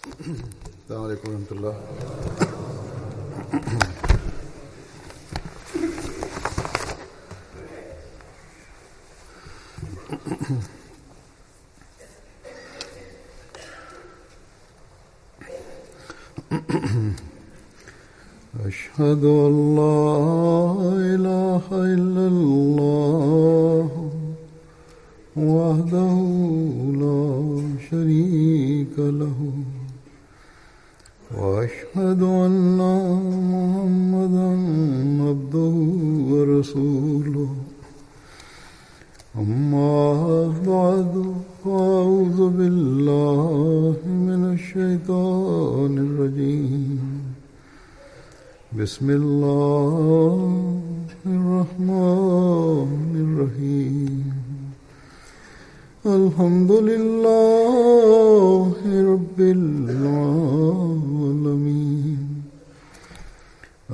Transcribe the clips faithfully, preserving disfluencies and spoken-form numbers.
السلام عليڪم ورحمة الله. أشهد أن لا إله إلا الله وحده لا شريك له وأشهد أن محمدا عبده ورسوله. أما بعد فأعوذ بالله من الشيطان الرجيم. بسم الله الرحمن الرحيم. الحمد لله رب العالمين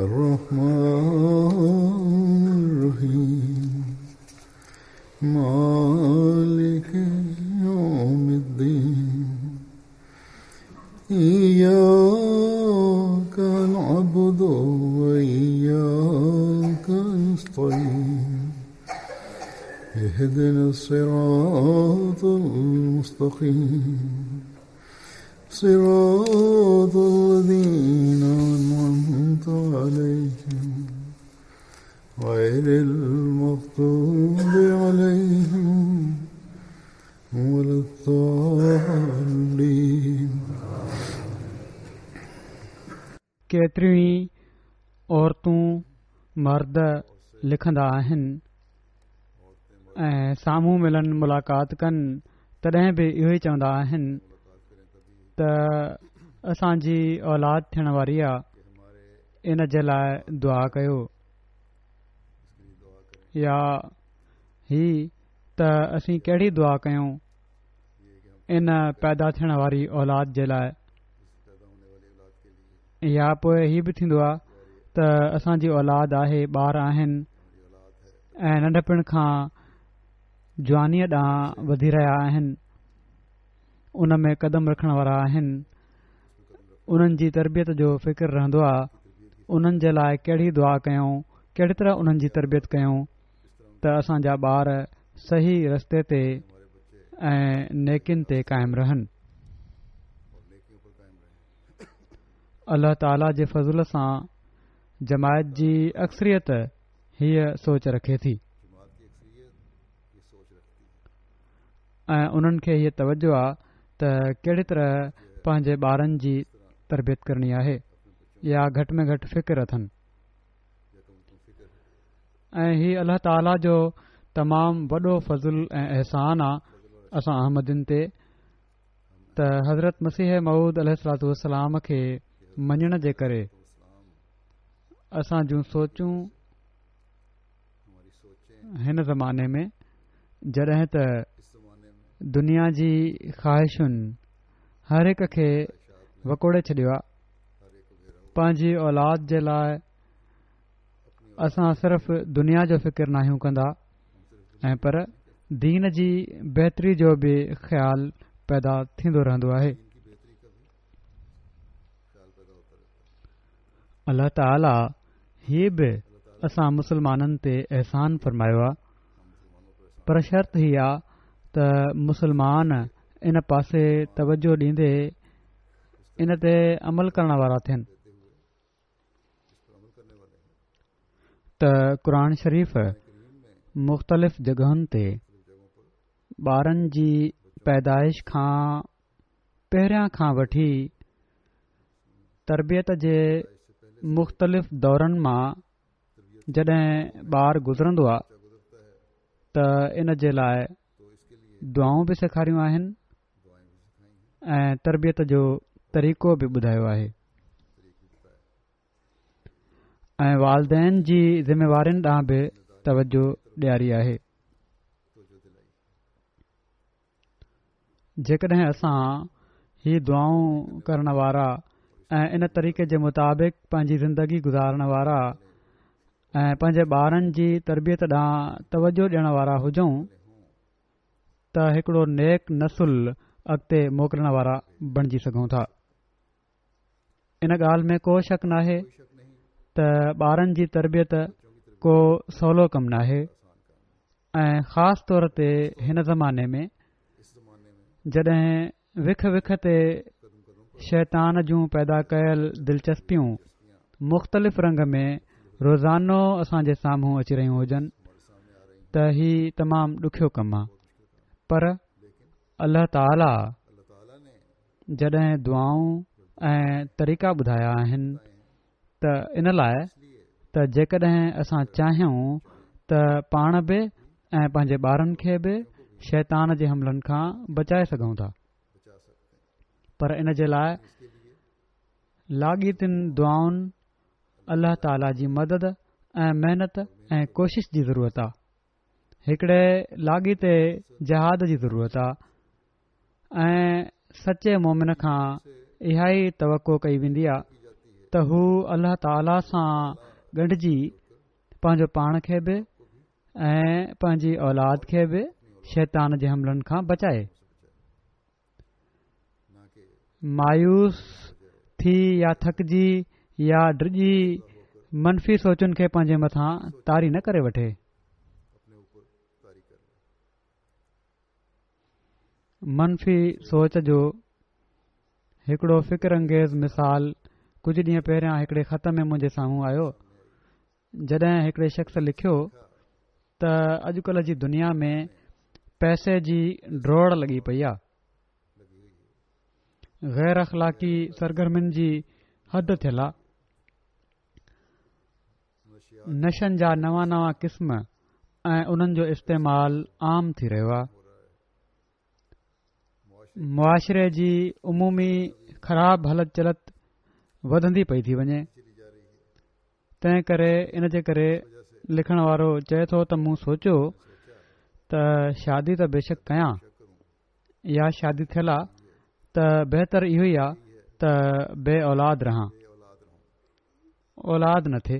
الرحمن الرحيم مالك يوم الدين. إياك نعبد وإياك نستعين. اهدنا الصراط المستقيم صراط الذين أنعمت عليهم غير المغضوب عليهم ولا الضالين. केतिरियूं ई औरतूं मर्द लिखंदा आहिनि ऐं साम्हूं मिलनि मुलाक़ात कनि तॾहिं बि इहो ई चवंदा आहिनि त असांजी औलाद थियण वारी आहे, इन जे लाइ दुआ कयो, या ही त असीं कहिड़ी दुआ कयूं इन पैदा थियण वारी औलाद जे लाइ। या पोइ ही बि थींदो आहे त असांजी औलाद आहे, ॿार आहिनि ऐं नंढपण खां जवानीअ ॾांहुं वधी रहिया आहिनि, उन में कदम रखण वारा आहिनि, उन्हनि जी तरबियत जो फ़िक्र रहंदो आहे, उन्हनि जे लाइ कहिड़ी दुआ कयूं, कहिड़ी तरह उन्हनि जी तरबियत कयूं त असांजा ॿार सही रस्ते ते ऐं नेकिन ते क़ाइमु रहनि। अलाह ताला जे फज़ल सां जमायत जी अक्सरियत हीअ सोच रखे थी ऐं उन्हनि खे हीअ तवजो आहे त कहिड़ी तरह पंहिंजे ॿारनि जी तरबियत करणी आहे या घटि में घटि फ़िक्र अथनि। ऐं हीअ अलाह ताला जो तमामु वॾो फज़ुल ऐं अहसान आहे असां अहमदिन ते त हज़रत मसीह मऊद अलैहिस्सलातु वस्सलाम खे मञण जे करे असां जूं सोचूं हिन ज़माने में जॾहिं त दुनिया जी ख़्वाहिशुनि हर हिक खे वकोड़े छॾियो आहे, पंहिंजी औलाद जे लाइ असां सिर्फ़ दुनिया जो फ़िक्र नाहियूं कंदा ऐं पर दीन जी बहितरी जो बि ख़्याल पैदा थींदो रहंदो आहे। अलाह ताला हीअ बि असां मुसलमाननि ते अहसान फरमायो आहे, पर शर्त हीअ आहे त मुसलमान इन पासे तवजो ॾींदे इन ते अमल करण वारा थियनि त क़ुरान शरीफ़ मुख़्तलिफ़ जॻहुनि ते ॿारनि जी पैदाइश खां पहिरियां खां वठी तरबियत जे मुख़्तलिफ़ दौरनि मां जॾहिं ॿार गुज़रंदो आहे त इन जे लाइ दुआऊं बि सेखारियूं आहिनि ऐं तरबियत जो तरीक़ो बि ॿुधायो आहे ऐं वालदैन जी ज़िम्मेवारियुनि ॾांहुं बि तवजो ॾियारी आहे। जेकॾहिं असां ही दुआऊं करण वारा ऐं इन तरीक़े जे मुताबिक़ पंहिंजी ज़िंदगी गुज़ारण वारा ऐं पंहिंजे ॿारनि जी तरबियत ॾांहुं तवजो ॾियण वारा हुजूं त हिकिड़ो नेक नस्ल अॻिते मोकिलण वारा बणिजी सघूं था। ان ڳالهه ۾ ڪو شڪ ناهي ته ٻارن جي تربيت ڪو سولو ڪم ناهي ۽ خاص طور تي هن زماني ۾ جڏهن وک وک تي شيطان جون پيدا ڪيل دلچسپيون مختلف رنگ ۾ روزانو اسان جي سامهون اچي رهيون هجن ته هي تمام ڏکيو ڪم آهي، پر الله تعاليٰ جڏهن دعائون ۽ طريقا ٻڌايا آهن ته ان لاء ته جيڪڏهن اسان چاهيون ته پاڻ به ۽ پنهنجي ٻارن کي به شيطان جي حملن کان بچائي سگهون ٿا، پر ان جي لاء لاڳيتين دعائن، الله تعاليٰ جي مدد ۽ محنت ۽ ڪوشش جي ضرورت آ، هڪڙي لاڳيتي جهاد جي ضرورت آ ۽ سچي مومن کان اها ئي توقع ڪئي ويندي آ ته هو الله تعاليٰ سان ڳنڍجي پنهنجو پاڻ کي به ۽ پنهنجي اولاد کي به شيطان جي حملن کان بچائي. مايوس ٿي يا ٿڪجي يا ڊڄي منفي سوچن کي پنهنجي مٿان طاري نه ڪري وٺي. منفي سوچ جو هڪڙو فڪر انگيز مثال ڪجهه ڏينهن پهريان هڪڙي خط ۾ منهنجي سامهون آيو، جڏهن هڪڙي شخص لکيو ته اڄڪلهه جي دنيا ۾ پئسي جي ڊوڙ لڳي پئي آ، غير اخلاقي سرگرمين جي حد ٿيل آ، نشن جا نوان نوان قسم ۽ انهن جو استعمال عام ٿي رهيو آ، معاشري جي عمومي خراب هلت چلت وڌندي پئي ٿي وڃي، تنهن ڪري ان جي ڪري لکڻ وارو چئي ٿو ته مون سوچيو ته شادي ته بيشڪ ڪيان يا شادي ٿيل آ ته بهتر اهو ئي آ ته بي اولاد رهان، اولاد نه ٿئي.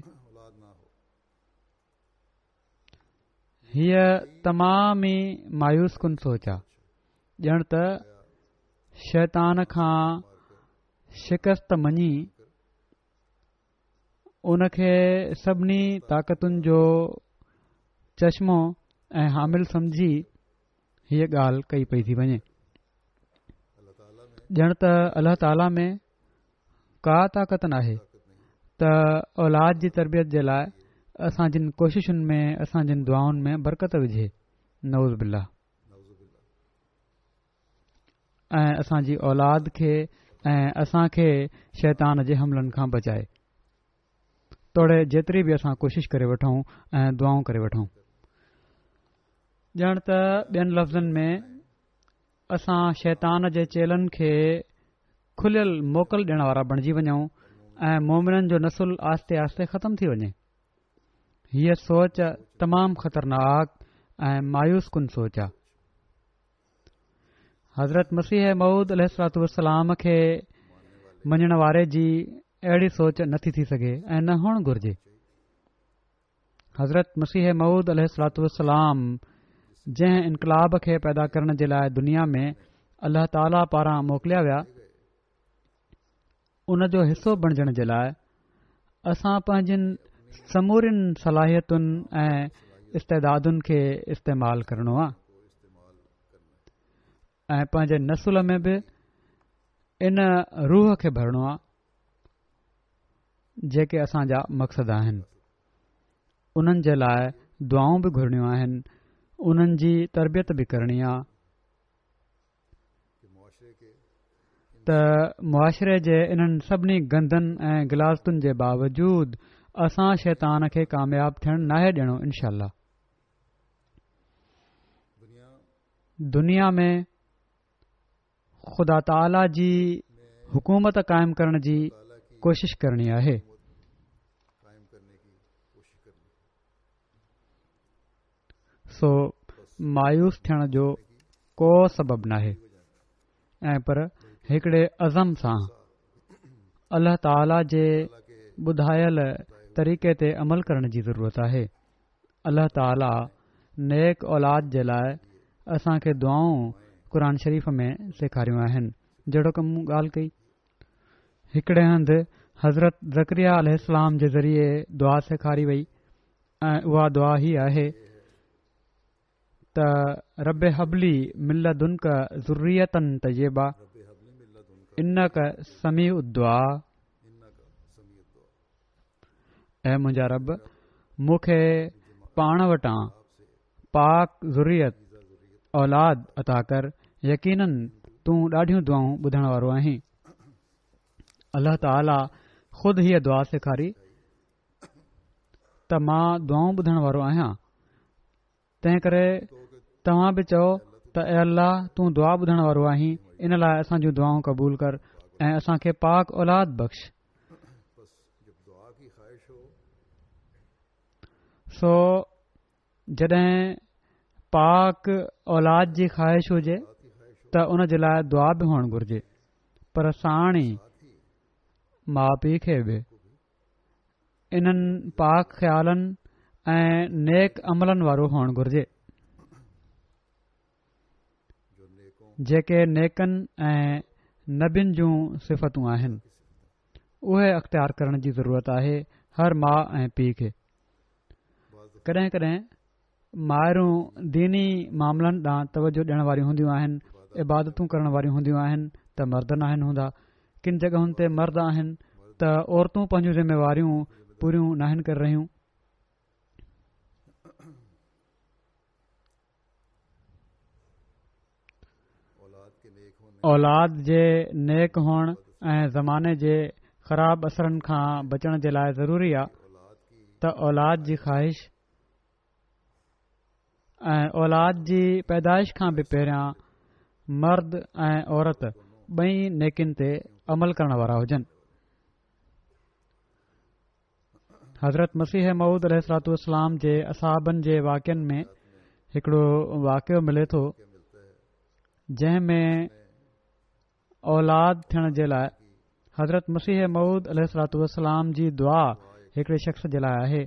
هيء تمام ئي مايوس ڪن سوچ آ، ڄڻ ته شيطان کان شڪست مڃي ان کي سڀني طاقتن جو چشمو ۽ حامل سمجهي هيء ڳالهه ڪئي پئي ٿي وڃي. ڄڻ ته الله تعاليٰ ۾ ڪا طاقت ناهي ته اولاد جي تربيت جي لاء اسان جن ڪوششن ۾ اسان جن دعائن ۾ برڪت وجهي. نعوذ بالله. ۽ اسان جي اولاد کي ۽ اسان کي شيطان جي حملن کان بچائي. توڙي جيتري به اسان ڪوشش ڪري وٺون ۽ دعائون ڪري وٺون. ڄڻ ته ٻين لفظن ۾ اسان شيطان جي چيلن کي کليل موڪل ڏيڻ وارا بڻجي وڃون ۽ مومنن جو نسل آهستي آهستي ختم ٿي وڃي. هيء سوچ تمام خطرناڪ ۽ مايوس ڪن سوچ آ. حضرت مسيح موعود عليه الصلوة والسلام کي مڃڻ واري جي اهڙي سوچ نٿي ٿي سگهي ۽ نه هئڻ گهرجي. حضرت مسيح موعود عليه الصلوة والسلام جنهن انقلاب کي پيدا ڪرڻ جي لاء دنيا ۾ الله تعاليٰ پاران موڪليا ويا، ان جو حصو بڻجڻ جي لاء اسان پنهنجين سمورين صلاحيتن ۽ استعدادن کي استعمال ڪرڻو آهي ۽ پنهنجي نسل ۾ به ان روح کي ڀرڻو آهي جيڪي اسان جا مقصد آهن انهن جي لاء دعائون به گهرڻيون آهن انهن جي تربيت به ڪرڻي آهي ته معاشري جي انهن سڀني گندن ۽ غلاظتن جي باوجود اسان شيطان کي ڪامياب ٿيڻ ناهي ڏيڻو انشاء الله دنيا ۾ خدا تعاليٰ جي حڪومت قائم ڪرڻ جي ڪوشش ڪرڻي آهي. سو مايوس ٿيڻ جو ڪو سبب ناهي ۽ پر هڪڙي عزم سان الله تعاليٰ جي ٻڌايل طريقي تي عمل ڪرڻ جي ضرورت آهي. الله تعاليٰ نيڪ اولاد جي لاء اسان کي دعائون قرآن شريف ۾ سيکاريون آهن جهڙوڪ مون ڳالهه ڪئي. هڪڙي هنڌ حضرت زڪريا عليه السلام جي ذريعي دعا سيکاري وئي ۽ اها دعا هي آهي ته رب هب لي من لدنڪ ذرية طيبة انڪ سميع الدعاء. اي منهنجا رب، مون کي پاڻ وٽان پاڪ ذريت، اولاد، عطا ڪر، يقيناً تون ڏاڍيون دعائون ٻڌڻ وارو آهين. الله تعاليٰ خود هيء دعا سيکاري ته مان دعائون ٻڌڻ وارو آهيان، تنهن ڪري توهان به چئو ته اي الله تون دعا ٻڌڻ وارو آهين، ان لاء اسان جون دعائون قبول ڪر ۽ اسان کي پاڪ اولاد بخش. سو جڏهن پاڪ اولاد جي خواهش هجي ته ان جي لاء دعا به هئڻ گهرجي، پر ساڻ ئي ماء پيء کي به انهن پاڪ خيالن ۽ نيڪ عملن وارو هئڻ گهرجي، جيڪي نيڪن ۽ نبين جون صفتون آهن، اهي اختيار ڪرڻ جي ضرورت آهي هر ماء ۽ پيء کي. ڪڏهن ڪڏهن مائرون ديني معاملن ڏانهن توجه ڏيڻ واريون هونديون آهن، عبادتون ڪرڻ واريون هونديون آهن ته مرد ناهن هوندا. ڪن جڳهن تي مرد آهن ته عورتون پنهنجون ذميواريون پوريون ناهن ڪري رهيون. اولاد جي نيڪ هئڻ ۽ زماني جي خراب اثرن کان بچڻ جي لاء ضروري آ ته اولاد جي خواهش ۽ اولاد جي پيدائش کان به پهريان مرد ۽ عورت ٻئي نيڪين تي عمل ڪرڻ وارا هجن. حضرت مسيح موعود عليه الصلوة والسلام جي اصحابن جي واقعن ۾ هڪڙو واقعو ملي ٿو، جنهن ۾ اولاد ٿيڻ جي لاء حضرت مسيح موعود عليه الصلوة والسلام جي دعا هڪڙي شخص جي لاء آهي،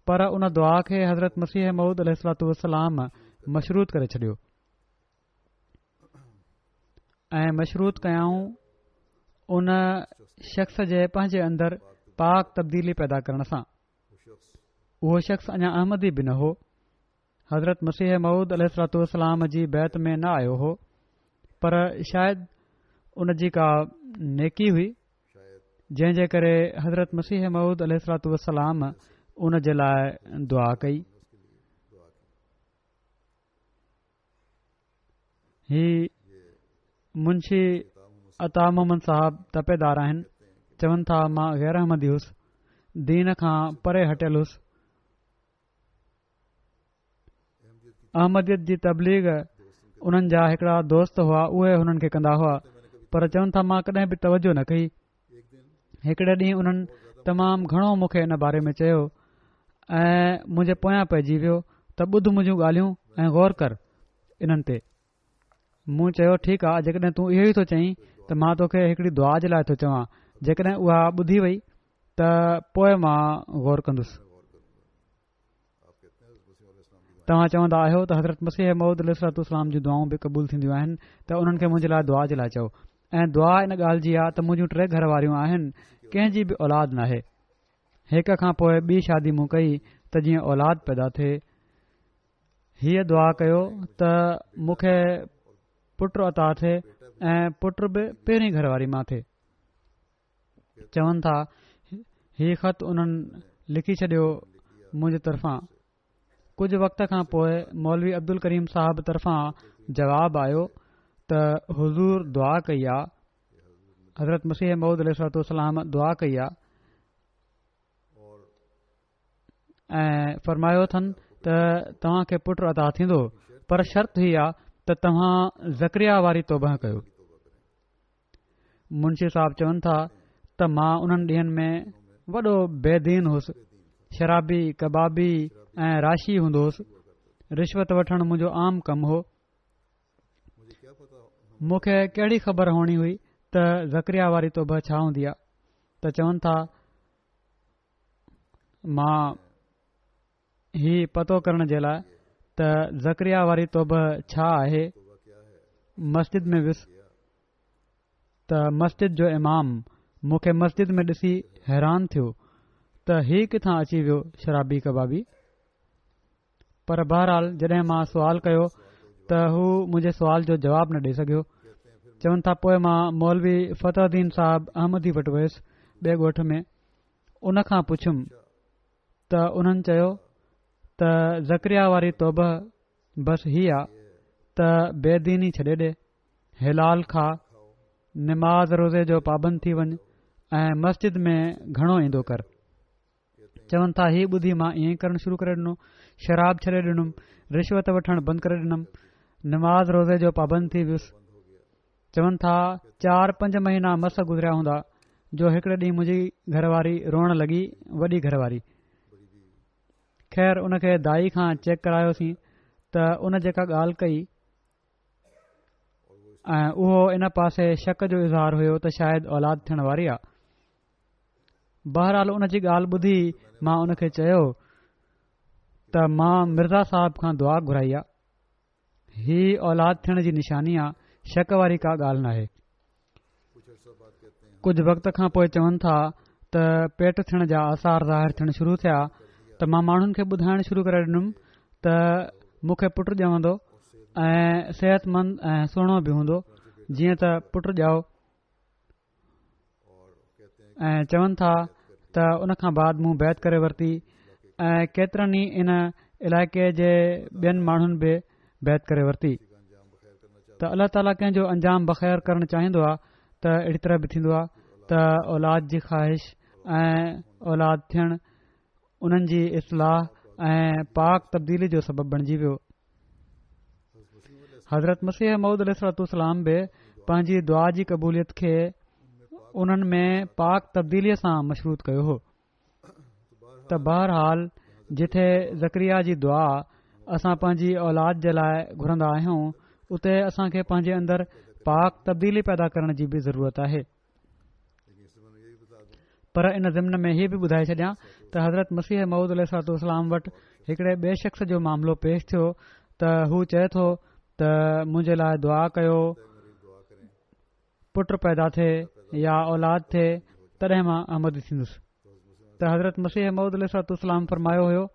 پر ان دعا کي حضرت مسيح موعود عليه الصلوة والسلام مشروط ڪري ڇڏيو ۽ مشروط ڪيائون ان شخص جي پنهنجي اندر پاڪ تبديلي پيدا ڪرڻ سان. اهو شخص اڃا احمدي به نه هو، حضرت مسيح موعود عليه الصلوة والسلام جي بيعت ۾ نه آيو هو، پر شايد ان جي ڪا نيڪي هئي جنهن جي ڪري حضرت مسيح موعود عليه الصلوة والسلام ان جي لاء دعا ڪئي. هي منشي عطا محمد صاحب تپيدار آهن، چون ٿا مان غير احمدي هوس، دين کان پري هٽيل هوس، احمديت جي تبليغ انهن جا هڪڙا دوست هئا اهي هنن کي ڪندا هئا، پر چون ٿا مان ڪڏهن به توجه نه ڪئي. هڪڙي ڏينهن انهن تمام گهڻو مون کي ان باري ۾ چيو ۽ منهنجي پويان پئجي ويو ته ٻڌ منهنجون ڳالهيون ۽ غور ڪر انهن تي. مون چيو ٺيڪ آ جيڪڏهن تون اهو ئي ٿو چئين ته مان توکي هڪڙي دعا جي لاء ٿو چوان، جيڪڏهن اها ٻڌي وئي ته پوء مان غور ڪندس. توهان چوندا آهيو ته حضرت مسيح موعود عليه الصلوة والسلام جون دعائون به قبول ٿينديون آهن ته انهن کي منهنجي لاء دعا جي لاء چئو ۽ دعا ان ڳالهه جي آ ته منهنجون ٽي گهر واريون آهن ڪنهن جي به اولاد ناهي هڪ کان پوء ٻي شادي مون ڪئي ته جيئن اولاد پيدا ٿئي هيء دعا ڪيو ته مون کي پٽ عطا ٿئي ۽ پٽ به پهرين گهر واري مان ٿئي. چون ٿا هي خط انهن لکي ڇڏيو منهنجي طرفان ڪجهه وقت کان پوء مولوي عبدالڪريم صاحب طرفان جواب آيو ته حضور دعا ڪئي آ حضرت مسيح موعود عليه الصلوة والسلام دعا ڪئي آ ۽ فرمايو اٿن ته توهان کي پٽ عطا ٿيندو پر شرط هي آ ته توهان زڪريا واري توبه ڪيو منشي صاحب چون ٿا ته مان انهن ڏينهن ۾ وڏو بي دين هوس، شرابي، ڪبابي ۽ راشي هوندو هوس، رشوت وٺڻ منهنجو عام ڪم هو. مون کي ڪهڙي خبر هئڻي هئي ته زڪريا واري توبه ڇا هوندي آ ته چون ٿا مان هي پتو ڪرڻ جي لاء ته زڪريا واري توبه ڇا آهي مسجد ۾ ويس ته مسجد جو امام مون کي مسجد ۾ ڏسي حيران ٿيو ته هي ڪٿان اچي ويو شرابي ڪبابي. پر بهرحال جڏهن مان سوال ڪيو ته هو منهنجي سوال جو جواب نه ڏئي سگهيو. چون ٿا پوء مان مولوي فتح الدين صاحب احمدي وٽ ويس ٻئي ڳوٺ ۾ ان کان پڇيم ته انهن چيو ته زڪريا واري توبه بس هي آ ته بي ديني ڇڏي ڏي، حلال کاء، نماز روزي جو پابند ٿي وڃ ۽ مسجد ۾ گهڻو ايندو ڪر. چون ٿا هي ٻڌي مان ائين ئي ڪرڻ شروع ڪري ڏنو، شراب ڇڏي ڏنم، رشوت وٺڻ بند ڪري ڏنم، نماز روزي جو پابند ٿي ويس. چون ٿا چار پنج مهينا مس گذريا هوندا جو هڪڙي ڏينهن منهنجي گهر واري روئڻ لڳي، وڏي گهر واري. خير ان کي دائي کان چيڪ ڪرايوسين ته ان جيڪا ڳالهه ڪئي ۽ اهو ان پاسي شڪ جو اظهار هيو ته شايد اولاد ٿيڻ واري آ. بهرحال ان جي ڳالهه ٻڌي مان ان کي چيو ته مان مرزا صاحب کان دعا گهرائي آ، هي اولاد ٿيڻ جي نشاني آ، شڪ واري ڪا ڳالهه ناهي. ڪجهه وقت کان پوء چون ٿا ته پيٽ ٿيڻ جا آثار ظاهر ٿيڻ شروع ٿيا ته مان ماڻهن کي ٻڌائڻ شروع ڪري ڏنم ته مون کي پٽ ڄمندو ۽ صحتمند ۽ سهڻو به هوندو، جيئن ته پٽ ڄائو ۽ چون ٿا ته ان کان بعد مون بيعت ڪري ورتي ۽ ڪيترن ئي ان علائقي جي ٻين ماڻهن به بيعت ڪري ورتي ته الله تعاليٰ ڪنهن جو انجام بخير ڪرڻ چاهيندو آهي ته اهڙي طرح به ٿيندو آهي ته اولاد جي خواهش ۽ اولاد ٿيڻ انهن جي اصلاح ۽ پاڪ تبديلي جو سبب بڻجي ويو. حضرت مسيح موعود عليه الصلوة والسلام به پنهنجي دعا جي قبوليت کي انهن ۾ پاڪ تبديليء سان مشروط ڪيو هو ته بهرحال جٿي زڪريا جي دعا اسان پنهنجي اولاد جي لاء گهرندا آهيون اتي اسان کي پنهنجي اندر پاڪ تبديلي پيدا ڪرڻ جي به ضرورت آهي. پر ان ضمن ۾ هي به ٻڌائي ڇڏيان ته حضرت مسيح موعود عليه الصلوة والسلام وٽ هڪڙي ٻئي شخص جو معاملو پيش ٿيو ته هو چئي ٿو ته منهنجي لاء دعا ڪيو پٽ پيدا ٿئي يا اولاد ٿئي تڏهن مان احمدي ٿيندس ته حضرت مسيح موعود عليه الصلوة والسلام فرمايو هيو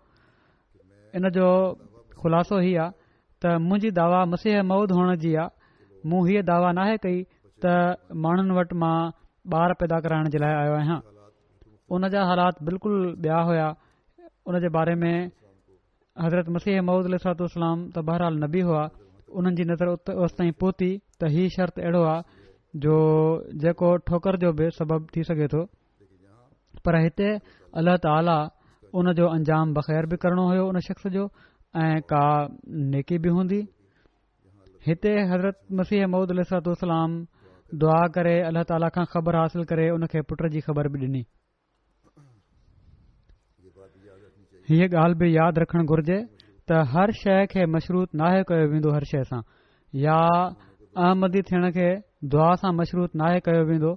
ان جو خلاصو هي آ ته منهنجي دعويٰ مسيح موعود هئڻ جي آ، مون هيء دعويٰ ناهي ڪئي ته ماڻهن وٽ مان ٻار پيدا ڪرائڻ جي لاء آيو آهيان. ان جا حالات بلڪل ٻيا هيا. ان جي باري ۾ حضرت مسيح موعود عليه الصلوة والسلام ته بهرحال نبي هئا، انهن جي نظر اوستائين پهتي ته هي شرط اهڙو آ جو جيڪو ٺوڪر جو به سبب ٿي سگهي ٿو. پر هتي الله تعاليٰ ان جو انجام بخير به ڪرڻو هيو ان شخص جو ۽ ڪا نيڪي به هوندي. هتي حضرت مسيح موعود عليه الصلوة والسلام دعا ڪري الله تعاليٰ کان خبر حاصل ڪري ان کي پٽ جي خبر به ڏني. هيء ڳالهه به ياد رکڻ گهرجي ته هر شيء کي مشروط ناهي ڪيو ويندو هر شيء سان يا احمدي ٿيڻ کي دعا سان مشروط ناهي ڪيو ويندو.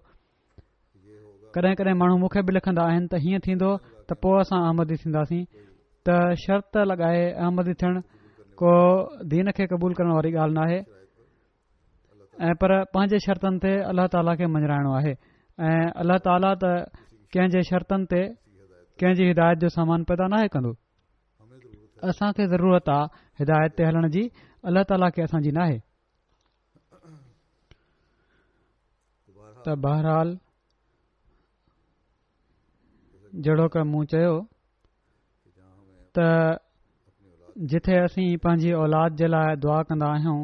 ڪڏهن ڪڏهن ماڻهو مون کي به لکندا آهن ته هيئن ٿيندو ته پوء اسان احمدي ٿينداسين ته شرط لڳائي احمدي ٿيڻ ڪو دين کي قبول ڪرڻ واري ڳالهه ناهي ۽ پر پنهنجي شرطن تي الله تعاليٰ کي مڃرائڻو آهي ۽ الله تعاليٰ ته ڪنهن جي شرطن تي ڪنهن جي هدايت جو سامان پيدا ناهي ڪندو اسان کي ضرورت آ هدايت تي هلڻ جي الله تعاليٰ کي اسان جي ناهي ته بهرحال جهڙوڪ مون چيو ته جٿي اسين پنهنجي اولاد جي لاء دعا ڪندا آهيون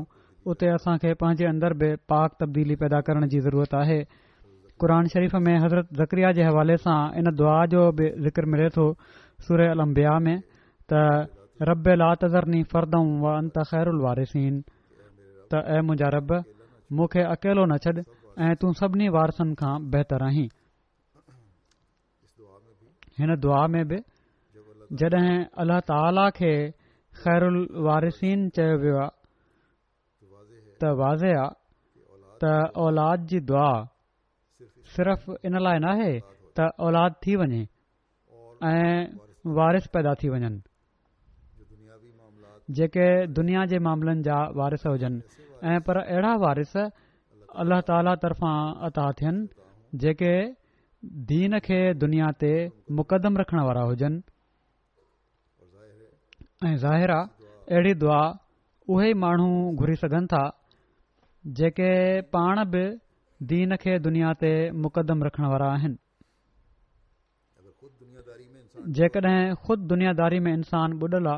اتي اسان کي پنهنجي اندر به پاڪ تبديلي پيدا ڪرڻ جي ضرورت آهي قرآن شريف ۾ حضرت زڪريا جي حوالي سان ان دعا جو به ذڪر ملي ٿو سوره الانبياء ۾ ته رب لا تذرني فردا وانت خير الوارثين ته اي منهنجا رب مون کي اڪيلو نه ڇڏ ۽ تون سڀني وارثن کان بهتر آهين. هن دعا ۾ به جڏهن الله تعاليٰ کي خير الوارثين چيو ويو آهي ته واضح آهي ته اولاد جي دعا صرف ان لاء ناهي ته اولاد ٿي وڃي ۽ وارث پيدا ٿي وڃن جيڪي دنيا جي معاملن جا وارث هجن ۽ پر اهڙا وارث الله تعاليٰ طرفان عطا ٿين جيڪي دين کي دنيا تي مقدم رکڻ وارا هجن. ۽ ظاهر آ اهڙي دعا اهي ئي ماڻهو گهري سگهن ٿا جيڪي پاڻ به دين کي دنيا تي مقدم رکڻ وارا آهن. جيڪڏهن خود دنياداري ۾ انسان ٻڏل آ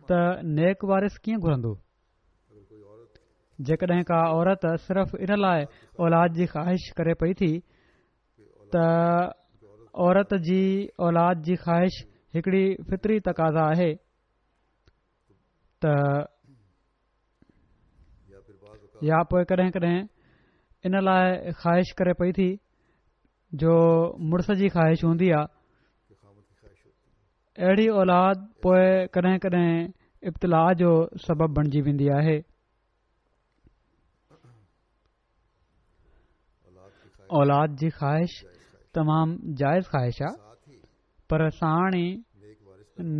ته نيڪ وارث ڪيئن گهرندو؟ جيڪڏهن ڪا عورت صرف ان لاء اولاد جي خواهش ڪري پئي ٿي ته عورت جي اولاد جي خواهش هڪڙي فطري تقاضا آهي ته يا پوء ڪڏهن ڪڏهن ان لاء خواهش ڪري پئي ٿي جو مڙس جي خواهش هوندي آ، اهڙي اولاد پوء ڪڏهن ڪڏهن ابتلاء جو سبب بڻجي ويندي آهي. اولاد جي خواهش تمام جائز خواهش آ، پر ساڻ ئي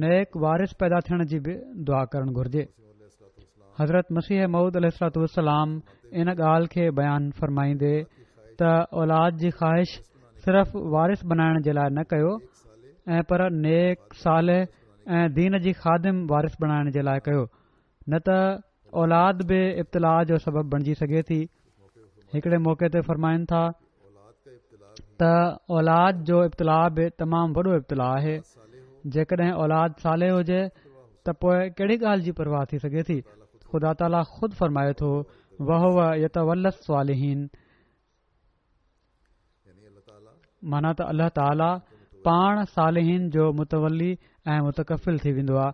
نيڪ وارث پيدا ٿيڻ جي به دعا ڪرڻ گهرجي. حضرت مسيح موعود عليه الصلوة والسلام ان ڳالهه کي بيان فرمائيندي ته اولاد جي خواهش صرف وارث بنائڻ جي لاء نه ڪيو ۽ پر نيڪ، صالح ۽ دين جي خادم وارث بڻائڻ جي لاء ڪيو، نه ته اولاد به ابتلاء جو سبب بڻجي سگهي ٿي. هڪڙي موقعي تي فرمائن ٿا ته اولاد جو ابتلاء به تمام وڏو ابتلاء آهي. جيڪڏهن اولاد صالح هجي ته پوء ڪهڙي ڳالهه جي پرواهه ٿي سگهي ٿي؟ خدا تعاليٰ خود فرمائي ٿو وهو يتولي الصالحين، معنيٰ ته الله تعاليٰ پاڻ صالحين جو متولي ۽ متڪفل ٿي ويندو آهي.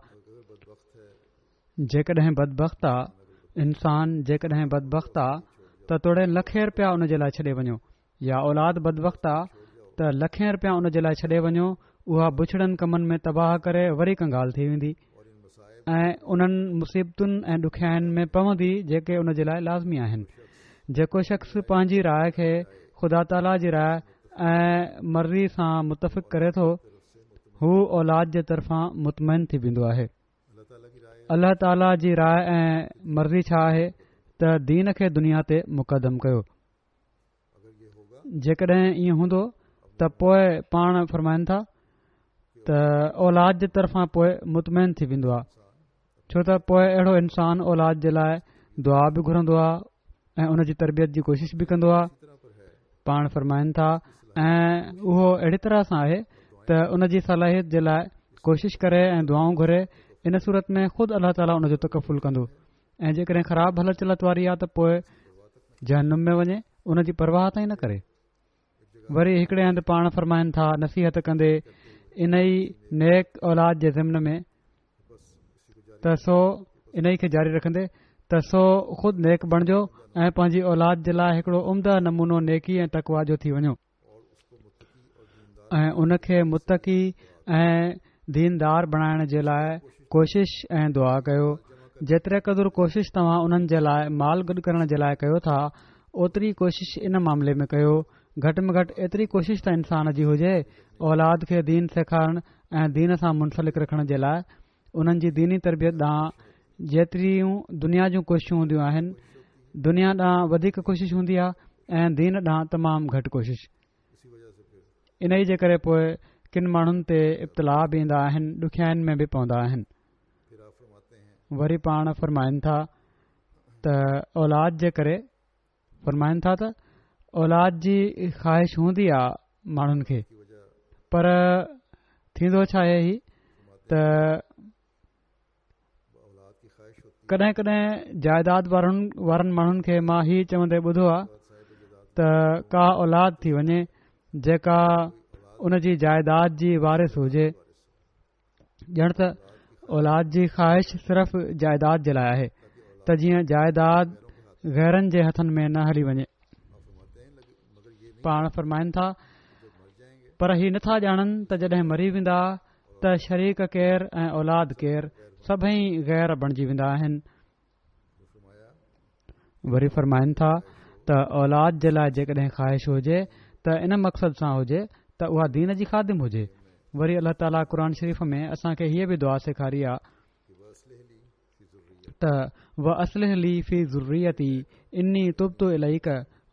جيڪڏهن بدبخت آ انسان جيڪڏهن بدبخت آ ته توڙي لکين رپيا ان جي لاء ڇڏي وڃو، يا اولاد بدبخت آ ته لکين رپيا ان جي لاء ڇڏي وڃو، اها بڇڙن ڪمن ۾ تباهه ڪري وري ڪنگال ٿي ويندي ۽ انهن مصيبتن ۽ ڏکيائين ۾ پوندي جيڪي ان جي لاء لازمي آهن. جيڪو شخص پنهنجي راء کي خدا تعاليٰ جي راء ۽ مرضي سان متفق ڪري ٿو، هو اولاد جي طرفان مطمئن ٿي ويندو آهي. الله تعاليٰ جي راء ۽ مرضي ڇا آهي ته دين کي دنيا تي مقدم ڪيو. جيڪڏهن ائين هوندو ته پوء پاڻ فرمائن ٿا ته اولاد جي طرفان پوء مطمئن ٿي ويندو آهي، ڇو ته پوء اهڙو انسان اولاد جي لاء دعا به گهرندو آهي ۽ ان جي تربيت جي ڪوشش به ڪندو آهي. پاڻ فرمائن ٿا ۽ اهو اهڙي طرح سان آهي ته ان جي صلاحيت جي لاء ڪوشش ڪري ۽ دعائون گهري، ان صورت ۾ خود الله تعاليٰ ان جو تڪفل ڪندو. ۽ جيڪڏهن خراب هلت چلت واري آ ته پوء جهنم ۾ وڃي، ان جي پرواهه تائين نه ڪري. وري هڪڙي هنڌ پاڻ فرمائن ٿا نصيحت ڪندي انهي نيڪ اولاد جي ضمن ۾ ته سو انهي کي جاري رکندي ته سو خود نيڪ بڻجو ۽ پنهنجي اولاد جي لاء هڪڙو عمده نمونو نيڪي ۽ تقويٰ جو ٿي وڃو ۽ ان کي متقي ۽ ديندار بڻائڻ جي لاء ڪوشش ۽ دعا ڪيو. جيتري قدر ڪوشش توهان انهن جي لاء مال گڏ ڪرڻ جي لاء ڪيو ٿا، اوتري ڪوشش ان معاملي ۾ ڪيو. گهٽ ۾ گهٽ ايتري ڪوشش ته انسان جي هجي، اولاد کي دين سيکارڻ ۽ دين سان منسلڪ رکڻ جي لاء انهن جي ديني تربيت ڏانهن جيتريون دنيا جون ڪوششون هونديون آهن، دنيا ڏانهن وڌيڪ ڪوشش هوندي آهي ۽ دين ڏانهن تمام گهٽ ڪوشش. انهيء جي ڪري پوء ڪن ماڻهن تي ابتلاء به ايندا آهن، ڏکيائين ۾ به پوندا آهن. وري پاڻ فرمائن ٿا ته اولاد جي ڪري فرمائن ٿا ته اولاد جي خواهش هوندي آ ماڻهن کي، پر ٿيندو ڇا آهي هي ته ڪڏهن ڪڏهن جائيداد وارن وارن ماڻهن کي مان هي چوندي ٻڌو آ ته ڪا اولاد ٿي وڃي جيڪا ان جي جائيداد جي وارث هجي، ڄڻ ته اولاد جي خواهش صرف جائيداد جي لاء آهي ته جيئن جائيداد غيرن جي هٿن ۾ نه هلي وڃي. پاڻ فرمائن ٿا پر هي نٿا ڄاڻن ته جڏهن مري ويندا ته شريڪ ڪير ۽ اولاد ڪير، سڀئي غير بڻجي ويندا آهن. وري فرمائن ٿا ته اولاد جي لاء جيڪڏهن خواهش هجي ته ان مقصد سان هجي ته اها دين جي خادم هجي. وري الله تعاليٰ قرآن شريف ۾ اسان کي هيء به دعا سيکاري آ ته واصلح لي في ذريتي اني تبت اليڪ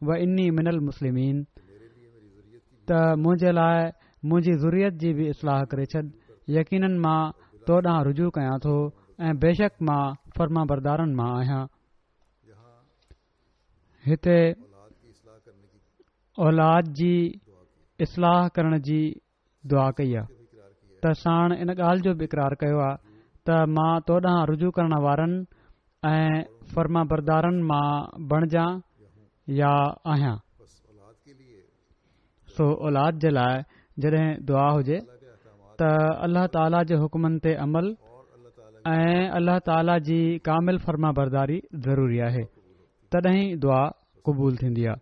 واني من المسلمين. ته منهنجي لاء منهنجي ذريت جي به اصلاح ڪري ڇڏ، يقيناً مان تو ڏانهن رجوع ڪيان ٿو ۽ بيشڪ مان فرمانبردارن مان آهيان. هتي اولاد جي اصلاح ڪرڻ جي دعا ڪئي آهي ته ساڻ ان ڳالهه جو به اقرار ڪيو آهي ته مان تو ڏانهن رجوع ڪرڻ وارن ۽ فرمانبردارن مان بڻجان يا آهيان. سو اولاد جي لاء جڏهن دعا هجي ته الله تعاليٰ جي حڪمن تي عمل ۽ الله تعاليٰ جي ڪامل فرمانبرداري ضروري آهي، تڏهن ئي دعا قبول ٿيندي آهي.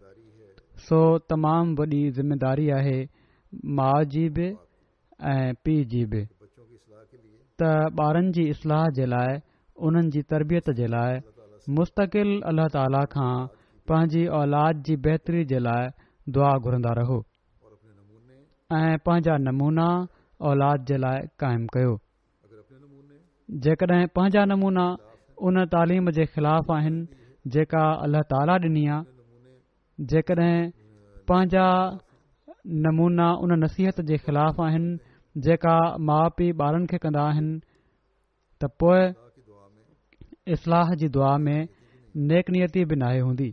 سو تمام وڏي ذميداري آهي ماء جي به ۽ پيء جي به ته ٻارن جي اصلاح جي لاء، انهن جي تربيت جي لاء مستقل الله تعاليٰ کان پنهنجي اولاد جي بهتري جي لاء دعا گهرندا رهو ۽ پنهنجا نمونا اولاد جي لاء قائم ڪيو. جيڪڏهن پنهنجا نمونا ان تعليم جي خلاف آهن جيڪا الله تعاليٰ ڏني آ، جيڪڏهن پنهنجا نمونا ان نصيحت جي خلاف آهن جيڪا ماء پيء ٻارن کي ڪندا آهن ته پوء اصلاح جي دعا ۾ نيڪ نيتي به ناهي هوندي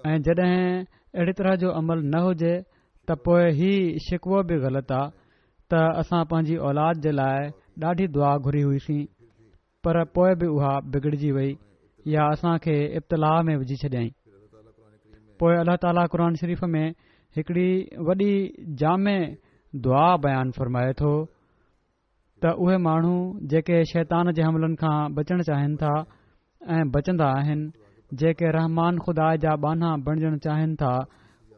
۽ جڏهن اهڙي طرح جو عمل نه هجي ته پوء هي شڪوو به غلط آ ته اسان پنهنجي اولاد جي لاء ڏاڍي دعا گهري هئيسين پر پوء به اها بگڙجي وئي يا اسان کي ابتلاء ۾ وجهي ڇڏيائين. پوء الله تعاليٰ قرآن شريف ۾ هڪڙي وڏي جامع دعا بيان فرمائي ٿو ته اهي ماڻهو جيڪي شيطان جي حملن کان بچڻ چاهين ٿا ۽ بچندا آهن، جيڪي رحمان خدا جا ٻانها بڻجڻ چاهين ٿا،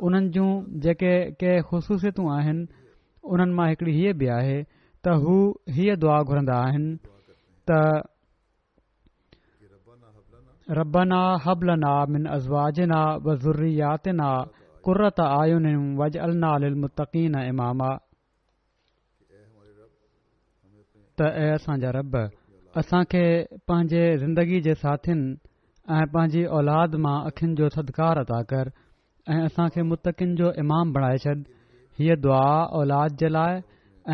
انهن جون جيڪي ڪي خصوصيتون آهن، انهن مان هڪڙي هيء به آهي ته هو هيء دعا گهرندا آهن ته ربنا هب لنا من ازواجنا وذرياتنا قرة اعين واجعلنا للمتقين اماما. ته اي اسان جا رب! اسان کي پنهنجي زندگي جي ساٿين ۽ پنهنجي اولاد مان اکين جو ٿڌڪار عطا ڪر ۽ اسان کي متقين جو امام بڻائي ڇڏ. هيء دعا اولاد جي لاء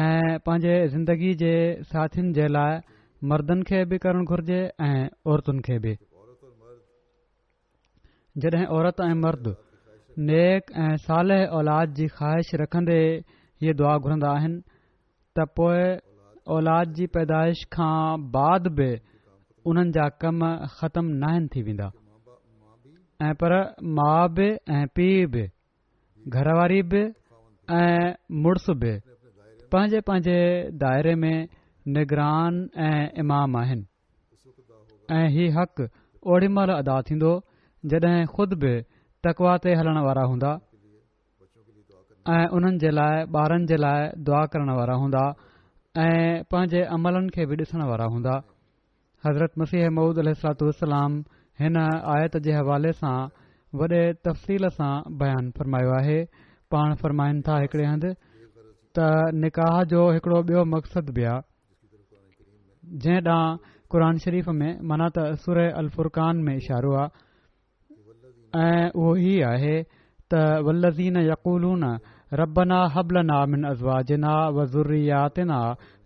۽ پنهنجي زندگي جي ساٿين جي لاء مردن کي به ڪرڻ گهرجي ۽ عورتن کي به. جڏهن عورت ۽ مرد نيڪ ۽ صالح اولاد جي خواهش رکندي هيء دعا گهرندا آهن ته پوء اولاد جي پيدائش کان بعد به انهن جا ڪم ختم ناهن ٿي ويندا ۽ پر ماء به ۽ پيء به گهر واري به ۽ مڙس به پنهنجي پنهنجي دائري ۾ نگران ۽ امام آهن. ۽ هي حق اوڏي مهل ادا ٿيندو جڏهن خود به تقويٰ تي هلڻ وارا هوندا ۽ انهن جي لاء ٻارن جي لاء دعا ڪرڻ وارا هوندا ۽ پنهنجي عملن کي به ڏسڻ وارا هوندا. حضرت مسيح موعود عليه الصلوة والسلام هن آيت جي حوالي سان وڏي تفصيل سان بيان فرمايو آهي. پاڻ فرمائن ٿا هڪڙي هنڌ ته نڪاح جو هڪڙو ٻيو مقصد به آ. جنهن ڏانهن قرآن شريف ۾ معنيٰ ته سوره الفرقان ۾ اشارو آ ۽ اهو هي آهي ته والذين يقولون ربنا هب لنا من ازواجنا وذرياتنا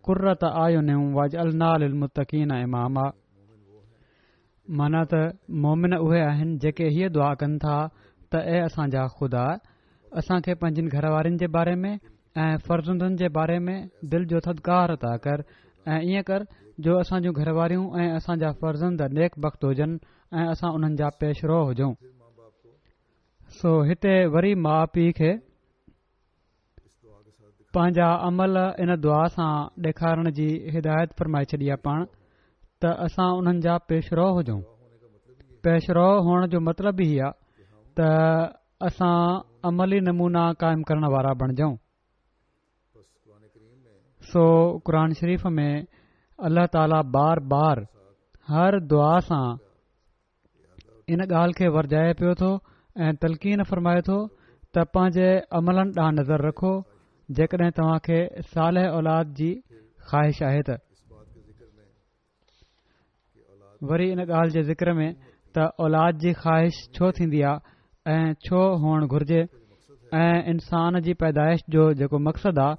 قرة اعين واجعلنا للمتقين اماما معنيٰ ته مؤمن اهي آهن جيڪي هيء دعا ڪن ٿا ته اي اسان جا خدا! اسان کي پنهنجين گهر وارين جي باري ۾ ۽ فرزندن جي باري ۾ دل جو ٿڌڪار عطا ڪر ۽ ائين ڪر جو اسان جون گهر واريون ۽ اسان جا فرزند نيڪ بخت هجن ۽ اسان انهن جا پيشرو هجون. سو هتي وري ماء پيء کي پنهنجا عمل ان دعا سان ڏيکارڻ جي هدايت فرمائي ڇڏي آ پاڻ ته اسان انهن جا پيشرو هجون. پيشرو هئڻ جو مطلب ئي هي آ ته اسان عملي نمونا قائم ڪرڻ وارا بڻجون. سو قرآن شريف ۾ الله تعالي بار بار هر دعا سان ان ڳالهه کي ورجائي پيو ٿو ۽ تلقين فرمائي ٿو ته پنهنجي عملن ڏانهن نظر رکو جيڪڏهن توهان کي صالح اولاد جي خواهش آهي ته وري ان ڳالهه جي ذڪر ۾ ته اولاد جي خواهش ڇو ٿيندي آهي ۽ ڇو هئڻ گهرجي ۽ انسان جي پيدائش جو جيڪو مقصد آ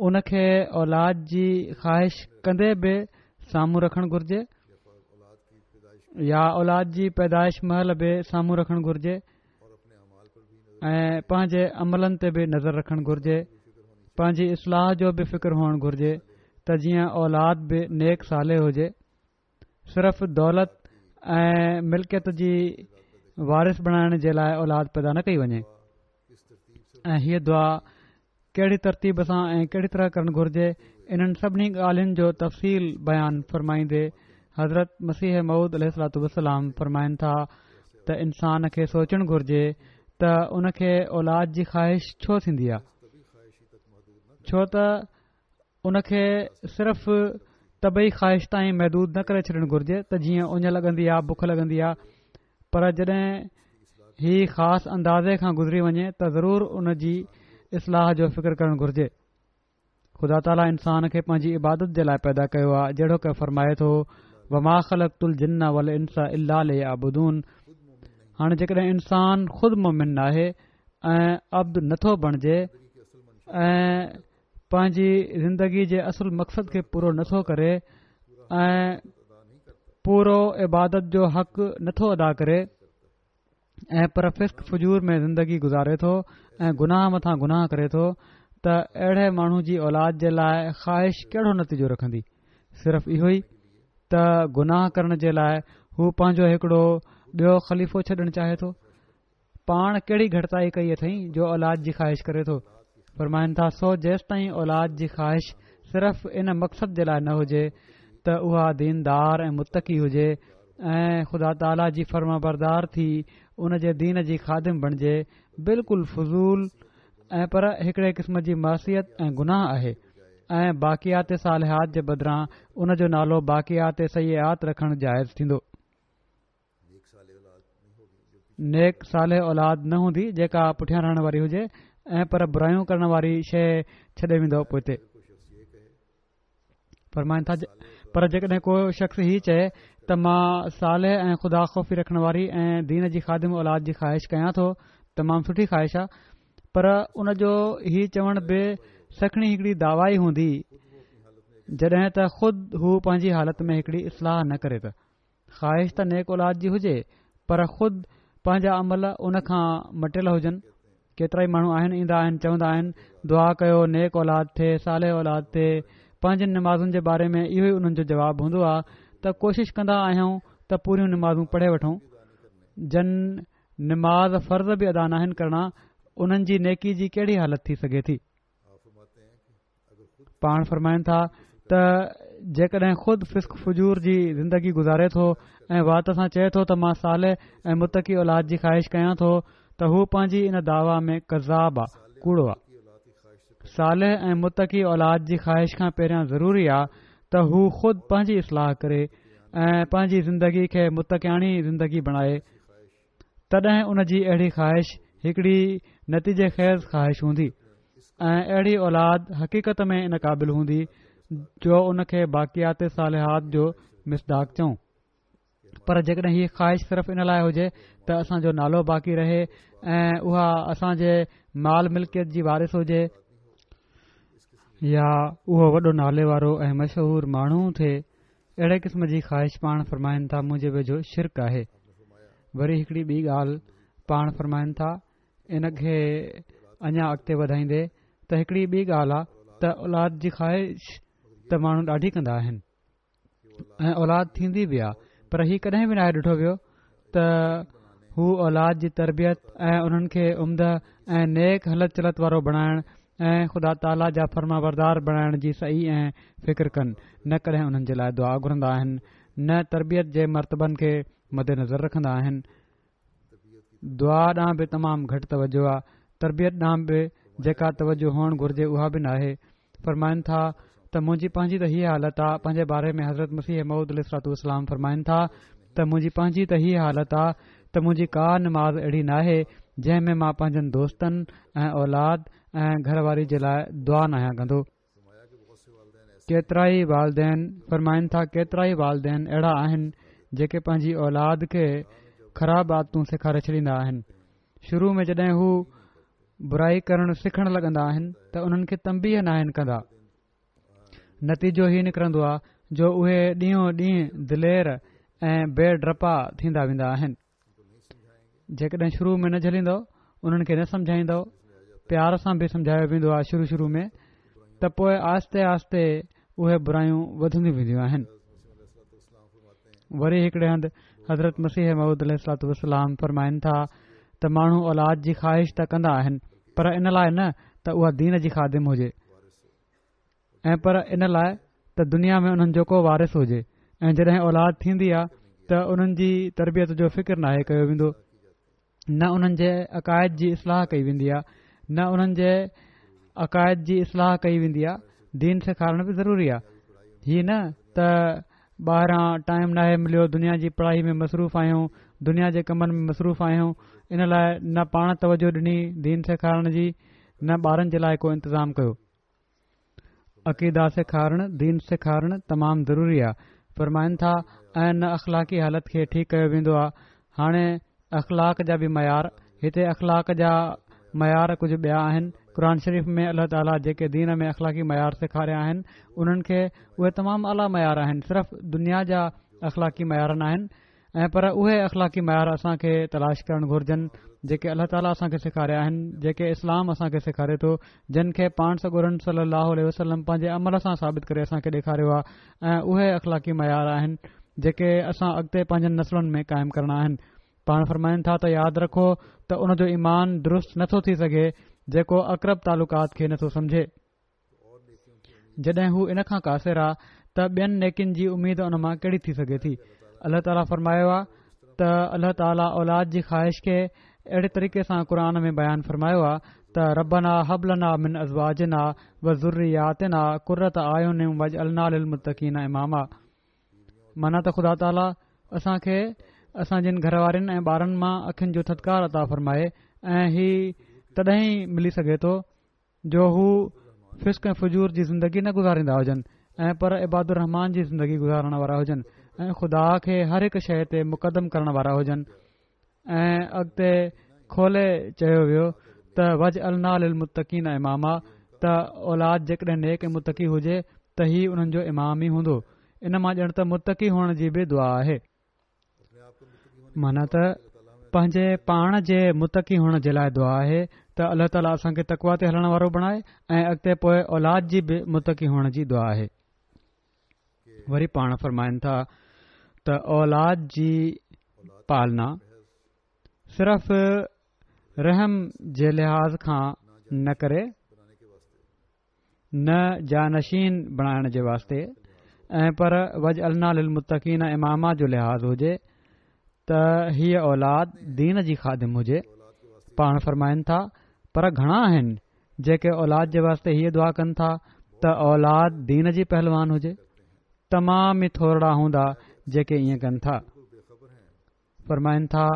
ان کي اولاد جي خواهش ڪندي به سامهون رکڻ گهرجي يا اولاد جي پيدائش مهل به سامهون رکڻ گهرجي ۽ پنهنجي عملن تي به نظر رکڻ گهرجي، پنهنجي اصلاح جو به فڪر هئڻ گهرجي ته جيئن اولاد به نيڪ صالح هجي. صرف دولت ۽ ملڪيت جي وارث بڻائڻ جي لاء اولاد پيدا نه ڪئي وڃي ۽ هيء دعا ڪهڙي ترتيب سان ۽ ڪهڙي طرح ڪرڻ گهرجي انهن سڀني ڳالهين جو تفصيل بيان فرمائيندي حضرت مسيح موعود عليه الصلوة والسلام فرمائن ٿا ته انسان کي سوچڻ گهرجي ته ان کي اولاد جي خواهش ڇو ٿيندي آهي ڇو ته ان کي صرف طبعي خواهش تائين محدود نه ڪري ڇڏڻ گهرجي ته جيئن اڃ لڳندي آ بک لڳندي آ پر جڏهن هي خاص اندازي کان گذري وڃي ته ضرور ان جي اصلاح جو فڪر ڪرڻ گهرجي. خدا تعاليٰ انسان کي پنهنجي عبادت جي لاء پيدا ڪيو آ جهڙوڪ فرمائي ٿو وما خلقت الجن والانس الا ليعبدون هاڻي جيڪڏهن انسان خود مومن ناهي ۽ عبد نٿو بڻجي ۽ پنهنجي زندگي جي اصل مقصد کي پورو نٿو ڪري ۽ پورو عبادت جو حق نٿو ادا ڪري ۽ پر فسق فجور ۾ زندگي گذاري ٿو ۽ گناهه مٿان گناهه ڪري ٿو ته اهڙي ماڻهو جي اولاد جي لاء خواهش ڪهڙو نتيجو رکندي صرف اهو ئي ته گناهه ڪرڻ جي لاء هو پنهنجو هڪڙو ٻيو خليفو ڇڏڻ چاهي ٿو پاڻ ڪهڙي گهٽتائي ڪئي اٿئي جو اولاد جي خواهش ڪري ٿو؟ فرمائن ٿا، سو جيستائين اولاد جي خواهش صرف ان مقصد جي لاء نه هجي ته اها ديندار ۽ متقي هجي ۽ خدا تعاليٰ جي فرمانبردار ٿي ان جي دين جي خادم بڻجي بلڪل فضول ۽ پر هڪڙي قسم جي معصيت ۽ گناهه آهي ۽ باقيات صالحات جي بدران ان جو نالو باقيات سيئات رکڻ جائز ٿيندو. نيڪ صالح اولاد نه هوندي جيڪا پٺيان رهڻ واري هجي ۽ پر برايون ڪرڻ واري شيء ڇڏي ويندو پوئتي فرمائن ٿا پر جيڪڏهن ڪو شخص هي چئي ته مان صالح ۽ خدا خوفي رکڻ واري ۽ دين جي خادم اولاد جي خواهش ڪيان ٿو تمام سٺي خواهش آهي پر ان جو هي چوڻ به سکڻي هڪڙي دعويٰ ئي هوندي جڏهن ته خود هو پنهنجي حالت ۾ هڪڙي اصلاح نه ڪري ته خواهش ته نيڪ اولاد جي هجي پر خود پنهنجا عمل ان کان مٽيل هجن. ڪيترائي ماڻهو آهن ايندا آهن چوندا آهن دعا ڪيو نيڪ اولاد ٿئي صالح اولاد ٿئي پنهنجين نمازن جي باري ۾ اهو ئي انهن جو جواب هوندو آهي ته ڪوشش ڪندا آهيون ته پوريون نمازون پڙهي وٺون جن نماز فرض به ادا ناهن ڪرڻا انهن جي نيڪي جي ڪهڙي حالت ٿي سگهي ٿي. پاڻ فرمائن ٿا ته جيڪڏهن خود فسق فجور جي زندگي گذاري ٿو ۽ وات سان چئي ٿو ته مان صالح ۽ متقي اولاد جي خواهش ڪيان ٿو ته هو پنهنجي ان دعويٰ ۾ ڪذاب آ ڪوڙو آ صالح ۽ متقي اولاد جي خواهش کان پهريان ضروري آ ته هو خود پنهنجي اصلاح ڪري ۽ پنهنجي زندگي کي متقياڻي زندگي بڻائي تڏهن ان جي اهڙي خواهش هڪڙي نتيجي خيز خواهش هوندي ۽ اهڙي اولاد حقيقت ۾ ان قابل هوندي جو ان کي باقيات صالحات جو مصداق چئون پر جيڪڏهن هي خواهش صرف ان لاء هجي ته اسان جو نالو باقي رهي ۽ اها اسان جي مال ملڪيت جي وارث هجي يا اهو وڏو نالي وارو ۽ مشهور ماڻهو ٿئي اهڙي قسم جي خواهش پاڻ فرمائن ٿا منهنجي ويجهو شرڪ آهي. وري هڪڙي ٻي ڳالهه پاڻ فرمائن ٿا ان کي اڃا اڳتي وڌائيندي ته هڪڙي ٻي ڳالهه آ ته اولاد جي خواهش ته ماڻهو ڏاڍي ڪندا آهن ۽ اولاد ٿيندي به آ پر هي ڪڏهن به ناهي ڏٺو ويو ته هو اولاد جي تربيت ۽ انهن کي عمده ۽ نيڪ هلت چلت وارو بڻائڻ ۽ خدا تعاليٰ جا فرمانبردار بڻائڻ جي سعي ۽ فڪر ڪن، نه ڪڏهن انهن جي لاء دعا گهرندا آهن، نه تربيت جي مرتبن کي مدنظر رکندا آهن. دعا ڏانهن به تمام گهٽ توجه آ، تربيت ڏانهن به جيڪا توجه هئڻ گهرجي اها به ناهي. فرمائن ٿا ته منهنجي پنهنجي ته هيء حالت آ، پنهنجي باري ۾ حضرت مسيح موعود عليه الصلوة والسلام فرمائن ٿا ته منهنجي پنهنجي ته هيء حالت آ ته منهنجي ڪا نماز اهڙي ناهي جنهن ۾ مان پنهنجن دوستن ۽ اولاد ۽ گهر واري جي لاء دعا ناهيان ڪندو. ڪيترائي والدين فرمائن ٿا ڪيترائي والدين اهڙا آهن جيڪي پنهنجي اولاد کي خراب عادتون سيکاري ڇڏيندا آهن شروع ۾ جڏهن هو برائي ڪرڻ سکڻ لڳندا آهن ته انهن کي تنبيهه ناهن ڪندا. نتيجو هي نڪرندو آهي جو اهي ڏينهون ڏينهن دلير ۽ بي ڊپا ٿيندا ويندا آهن. جيڪڏهن شروع ۾ نه جهليندؤ، انهن کي نه سمجهائيندؤ، پيار سان به سمجهايو ويندو آهي شروع شروع ۾ ته پوء آهستي آهستي اهي برايون وڌنديون وينديون آهن. وري هڪڙي هنڌ حضرت مسيح موعود عليه الصلوة والسلام فرمائن ٿا ته ماڻهو اولاد جي خواهش ته ڪندا آهن پر ان لاء نه ته اها دين جي خادم هجي ۽ پر ان لاء ته دنيا ۾ انهن جو ڪو وارث هجي ۽ جڏهن اولاد ٿيندي آ ته انهن جي تربيت جو فڪر ناهي ڪيو ويندو، نه انهن جي عقائد جي اصلاح ڪئي ويندي آ، نه انهن جي عقائد جي اصلاح ڪئي ويندي آ. دين سيکارڻ به ضروري آ، هي نه ته ٻاهران ٽائيم ناهي مليو، دنيا جي پڙهائي ۾ مصروف آهيون، دنيا جي ڪمن ۾ مصروف آهيون، ان لاء نه پاڻ توجه ڏني دين سيکارڻ جي نه ٻارن جي لاء ڪو انتظام ڪيو. عقيده سيکارڻ، دين سيکارڻ تمام ضروري آ. فرمائن ٿا ۽ نه اخلاقي حالت کي ٺيڪ ڪيو ويندو آ. هاڻي اخلاق جا به معيار، هتي اخلاق جا معيار ڪجهه ٻيا آهن. قرآن شريف ۾ الله تعاليٰ جيڪي دين ۾ اخلاقي معيار سيکاريا آهن انهن کي اهي تمام اعليٰ معيار آهن، صرف دنيا جا اخلاقي معيار ناهن. ۽ پر اهي اخلاقي معيار اسان کي تلاش ڪرڻ گهرجن جيڪي الله تعاليٰ اسان کي سيکاريا آهن، جيڪي اسلام اسان کي سيکاري ٿو، جن کي پاڻ سڳورن صلي الله عليه وسلم پنهنجي عمل سان ثابت ڪري اسان کي ڏيکاريو آهي ۽ اهي اخلاقي معيار آهن جيڪي اسان اڳتي پنهنجن نسلن ۾ قائم ڪرڻا آهن. پاڻ فرمائن ٿا ته ياد رکو ته ان جو ايمان درست نٿو ٿي سگهي جيڪو اقرب تعلقات کي نٿو سمجهي. جڏهن هو ان کان قاصر آ ته ٻين نيڪين جي اميد ان مان ڪهڙي ٿي سگهي ٿي. الله تعاليٰ فرمايو آ ته الله تعاليٰ اولاد جي خواهش کي اهڙي طريقي سان قرآن ۾ بيان فرمايو آ ته ربنا هب لنا من ازواجنا وذرياتنا قرة اعين واجعلنا للمتقين اماما معنيٰ ته خدا تعاليٰ اسان کي اسان جن گهر وارين ۽ ٻارن مان اکين جو ٿڌڪار عطا فرمائي ۽ هي تڏهن ئي ملي سگهي ٿو جو هو فسق ۽ فجور جي زندگي نه گذاريندا هجن ۽ پر عباد الرحمان جي زندگي گذارڻ وارا هجن ۽ خدا کي هر هڪ شيء تي مقدم ڪرڻ وارا هجن. ۽ اڳتي کولي چيو ويو ته واجعلنا للمتقين اماما ته اولاد جيڪڏهن نيڪ ۽ متقي هجي ته هي انهن جو امام ئي هوندو. ان مان ڄڻ ته متقي هئڻ جي به دعا آهي. معنيٰ ته پنهنجي پاڻ جي متقي هئڻ جي لاء دعا آهي ته الله تعاليٰ اسان کي تقويٰ تي هلڻ وارو بڻائي ۽ اڳتي پوء اولاد جي به متقي هئڻ جي دعا آهي. وري پاڻ فرمائن ٿا ته اولاد جي پالنا صرف رحم جي لحاظ کان نه ڪري، نه جانشين بڻائڻ جي واسطي ۽ پر واجعلنا للمتقين اماما جو لحاظ هجي ته هيء اولاد دين جي خادم هجي. پاڻ فرمائن ٿا پر گهڻا آهن جيڪي اولاد جي واسطي هيء دعا ڪن ٿا ته اولاد دين جي پهلوان هجي. تمام ئي ٿورڙا هوندا جيڪي ائين ڪن ٿا. فرمائن ٿا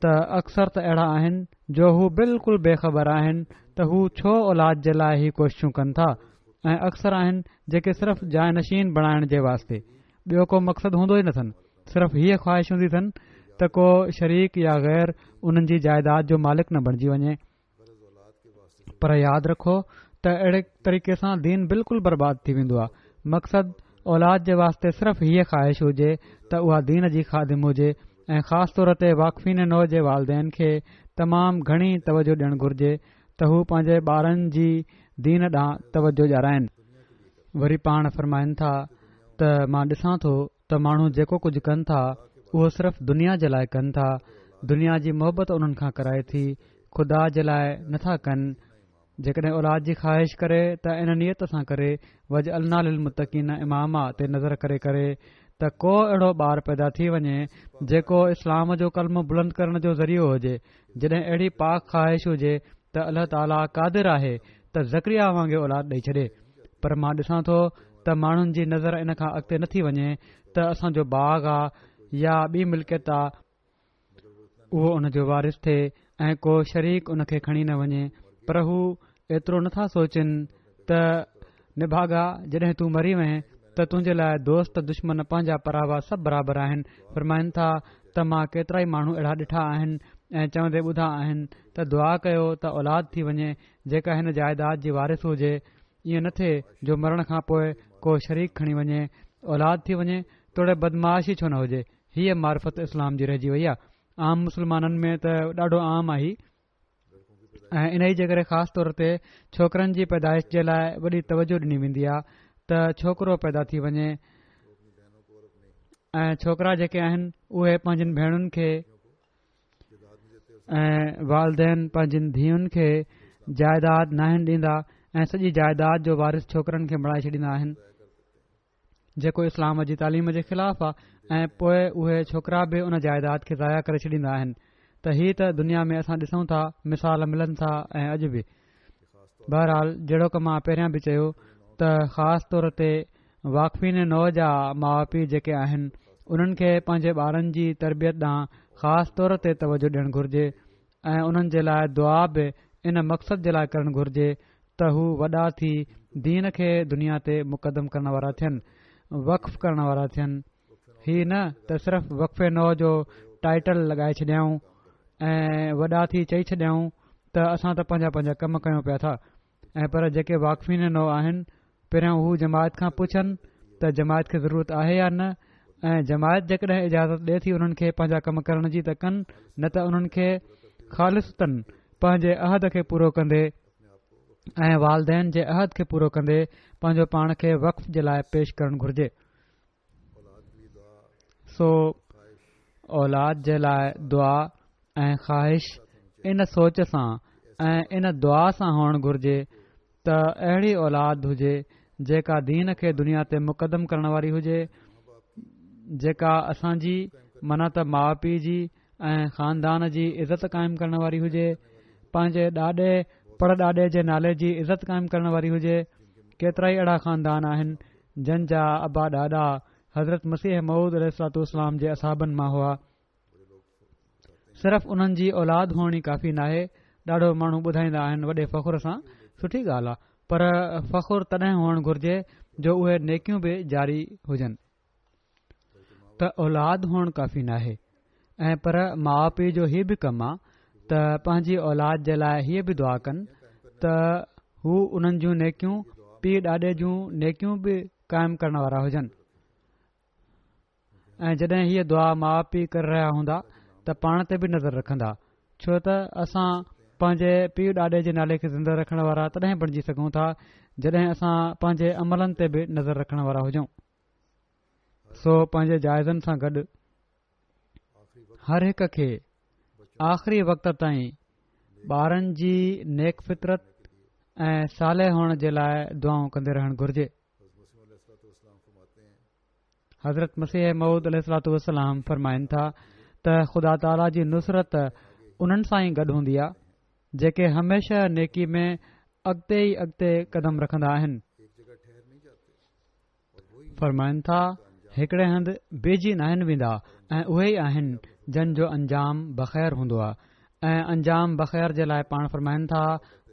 ته اڪثر ته اهڙا آهن جو هو بلڪل بي خبر آهن ته هو ڇو اولاد جي لاء هي ڪوششون ڪن ٿا ۽ اڪثر آهن جيڪي صرف جانشين بڻائڻ جي واسطي ٻيو ڪو مقصد هوندو ئي نٿن صرف هيء خواهش هوندي اٿن ته ڪو شريڪ يا غير انهن جي جائيداد جو مالڪ نه بڻجي وڃي. پر ياد رکو ته اهڙي طريقي سان دين بلڪل برباد ٿي ويندو آهي. مقصد اولاد جي واسطي صرف هيء خواهش هجي ته اها دين جي خادم هجي ۽ خاص طور تي واقفين نو جي والدين کي تمام گهڻي توجه ڏيڻ گهرجي ته هو پنهنجي ٻارن جي دين ڏانهن توجه ڏيارائن. وري پاڻ فرمائن ٿا ته مان ڏسان ٿو ته ماڻهو جيڪو ڪجهه ڪن ٿا اهو صرف دنيا جي لاء ڪن ٿا، دنيا جي محبت انهن کان ڪرائي ٿي، خدا جي لاء نه ٿا ڪن. جيڪڏهن اولاد جي خواهش ڪري ته ان نيت سان ڪري، واجعلنا للمتقين اماما تي نظر ڪري ڪري ته ڪو اهڙو ٻار پيدا ٿي وڃي جيڪو اسلام جو ڪلمو بلند ڪرڻ جو ذريعو هجي، جڏهن اهڙي پاڪ خواهش هجي ته الله تعاليٰ قادر آهي ته زڪريا وانگي اولاد ڏئي ڇڏي. پر مان ڏسان ٿو ته ماڻهن جي نظر ان کان اڳتي نٿي وڃي ته اسان جو باغ آ يا ٻي ملڪيت آ، اهو ان جو وارث ٿئي ۽ ڪو شريڪ ان کي کڻي نه وڃي، پر هو ايترو نٿا سوچين ته نڀاڳا جڏهن تون مري وئين ته تنهنجي لاء دوست دشمن پنهنجا پراوا سڀ برابر آهن. فرمائن ٿا ته مان ڪيترائي ماڻهو اهڙا ڏٺا آهن ۽ چوندي ٻڌا آهن ته دعا ڪيو ته اولاد ٿي وڃي جيڪا هن جائيداد جي وارث هجي، ائين نه ٿئي جو مرڻ کان پوء ڪو شريڪ کڻي وڃي، اولاد ٿي وڃي توڙي بدمعاش ئي ڇو نه هجي. هيء معرفت اسلام جي رهجي وئي آهي. عام مسلمانن ۾ ته ڏاڍو عام آهي ۽ انهي جي ڪري خاص طور تي ڇوڪرن جي پيدائش جي لاء وڏي توجه ڏني ويندي آهي ته ڇوڪرو پيدا ٿي وڃي ۽ ڇوڪرا جيڪي آهن اهي پنهنجين ڀيڻن کي ۽ والدين پنهنجين ڌيئن کي جائيداد ناهن ڏيندا ۽ سڄي جائيداد جو وارث ڇوڪرن کي بڻائي ڇڏيندا آهن، جيڪو اسلام جي تعليم جي خلاف آهي ۽ پوء اهي ڇوڪرا به ان جائيداد کي ضايع ڪري ڇڏيندا آهن. ته هي ته دنيا ۾ اسان ڏسون ٿا، مثال ملن ٿا ۽ اڄ به. بهرحال جهڙوڪ مان پهريان به چيو ته خاص طور تي واقفين نو جا ماء پيء جيڪي آهن انهن کي پنهنجي ٻارن جي تربيت ڏانهن خاص طور تي توجه ڏيڻ گهرجي ۽ انهن جي لاء دعا به ان مقصد جي لاء ڪرڻ گهرجي ته هو وڏا ٿي دين کي دنيا تي مقدم ڪرڻ وارا ٿين، وقف ڪرڻ وارا ٿين. هي نه ته صرف وقف نو جو ٽائيٽل لڳائي ڇڏيائون ۽ وڏا ٿي چئي ڇڏيائون ته اسان ته پنهنجا پنهنجا ڪم ڪيون پيا ٿا ۽ پر جيڪي واقفين نو آهن پهريان هو جماعت کان پڇن ته جماعت کي ضرورت آهي يا نه ۽ جماعت جيڪڏهن اجازت ڏي ٿي انهن کي پنهنجا ڪم ڪرڻ جي ته ڪن، نه ته انهن کي خالصتاً پنهنجي عهد کي پورو ڪندي ۽ والدين جي عهد کي پورو ڪندي پنهنجو پاڻ کي وقف جي لاء پيش ڪرڻ گهرجي. سو اولاد جي لاء دعا ۽ خواهش ان سوچ سان ۽ ان دعا سان هئڻ گهرجي ته اهڙي اولاد هجي جيڪا دين کي دنيا تي مقدم ڪرڻ واري هجي، جيڪا اسان جي معنيٰ ته ماء پيء جي ۽ خاندان جي عزت قائم ڪرڻ واري هجي، پنهنجي ڏاڏي پڙ ڏاڏي جي نالي جي عزت قائم ڪرڻ واري هجي. ڪيترائي اهڙا خاندان آهن جن جا ابا ڏاڏا حضرت مسيح موعود عليه الصلوة والسلام جي اصحابن مان هئا. صرف انهن جي اولاد هئڻ ئي ڪافي ناهي. ڏاڍو ماڻهو ٻڌائيندا آهن وڏي فخر سان، سٺي ڳالهه آ، پر فخر تڏهن هئڻ گهرجي جو اهي نيڪيون به جاري هجن. ته اولاد هئڻ ڪافي ناهي ۽ پر ماء پيء جو هي به ڪم آ ته پنهنجي اولاد جي لاء هيء به دعا ڪن ته هو انهن جون نيڪيون پيء ڏاڏي جون نيڪيون به قائم ڪرڻ وارا هجن. ۽ جڏهن هيء دعا ماء پيء ڪري رهيا هوندا ته پاڻ تي به نظر رکندا، ڇو ته اسان پنهنجي پيء ڏاڏي جي نالي کي زنده رکڻ وارا تڏهن بڻجي سگهون ٿا جڏهن اسان پنهنجي عملن تي به نظر رکڻ وارا هجون. سو پنهنجي جائزن سان گڏ هر هڪ کي آخري وقت تائين ٻارن جي نيڪ فطرت ۽ صالح هئڻ جي لاء دعائون ڪندي رهڻ گهرجي. حضرت مسيح موعود عليه الصلوة والسلام فرمائن ٿا ته خدا تعاليٰ جي نصرت انهن سان ئي گڏ هوندي آهي جيڪي هميشه نيڪي ۾ اڳتي ئي اڳتي قدم رکندا آهن. فرمائن ٿا هڪڙي هنڌ بيهجي ناهن ويندا ۽ اهي ئي آهن جن جو انجام بخير هوندو آهي ۽ انجام بخير جي لاء پاڻ فرمائن ٿا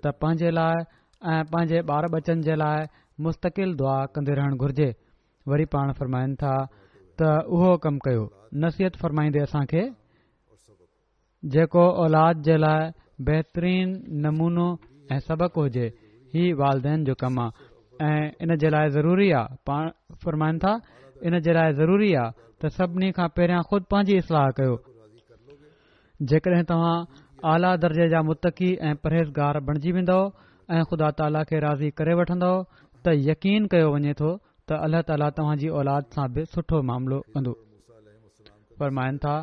ته پنهنجي لاء ۽ پنهنجي ٻار ٻچن جي لاء مستقل دعا ڪندي رهڻ گهرجي. وري پاڻ فرمائن ٿا ته اهو ڪم ڪيو، نصيحت فرمائيندي اسان کي جيڪو اولاد جي لاء بهترين نمونو ۽ سبق هجي، هي والدين جو ڪم آ ۽ ان جي لاء ضروري آ، پاڻ فرمائن ٿا ان جي لاء ضروري آ ته سڀني کان پهريان خود پنهنجي اصلاح ڪيو، جيڪڏهن توهان اعليٰ درجي جا متقي ۽ پرهيزگار بڻجي ويندؤ ۽ خدا تعاليٰ کي راضي ڪري وٺندؤ ته يقين ڪيو وڃي ٿو ته الله تعاليٰ توهان جي اولاد سان به سٺو معاملو ڪندو. فرمائن ٿا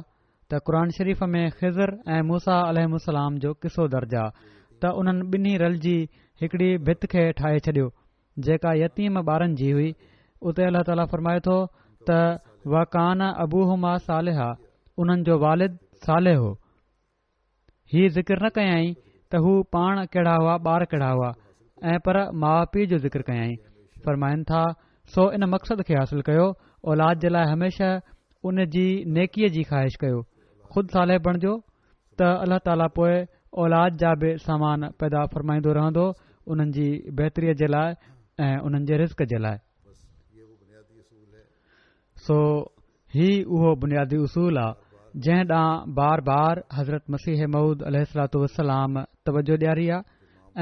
ته قرآن شريف ۾ خضر ۽ موسيٰ عليهم السلام جو قصو درج آ ته انهن ٻنهي رلجي هڪڙي ڀت کي ٺاهي ڇڏيو جيڪا يتيم ٻارن جي هئي، اتي الله تعاليٰ فرمائي ٿو ته وڪان ابوهما صالحا انهن جو والد صالح هو. هي ذڪر نه ڪيائين ته هو پاڻ ڪهڙا هئا ٻار ڪهڙا هئا ۽ پر ماء پيء جو ذڪر ڪيائين. فرمائن ٿا سو ان مقصد کي حاصل ڪيو اولاد جي لاء هميشه ان جي نيڪيء جي خواهش ڪيو خود صالح بڻجو ته الله تعاليٰ پوء اولاد جا به سامان پيدا فرمائيندو رهندو انهن جي بهتريء جي لاء ۽ انهن جي رزق جي لاء. سو هي اهو بنيادي اصول آ جنهن ڏانهن بار بار حضرت مسيح موعود عليه الصلوة والسلام توجه ڏياري آ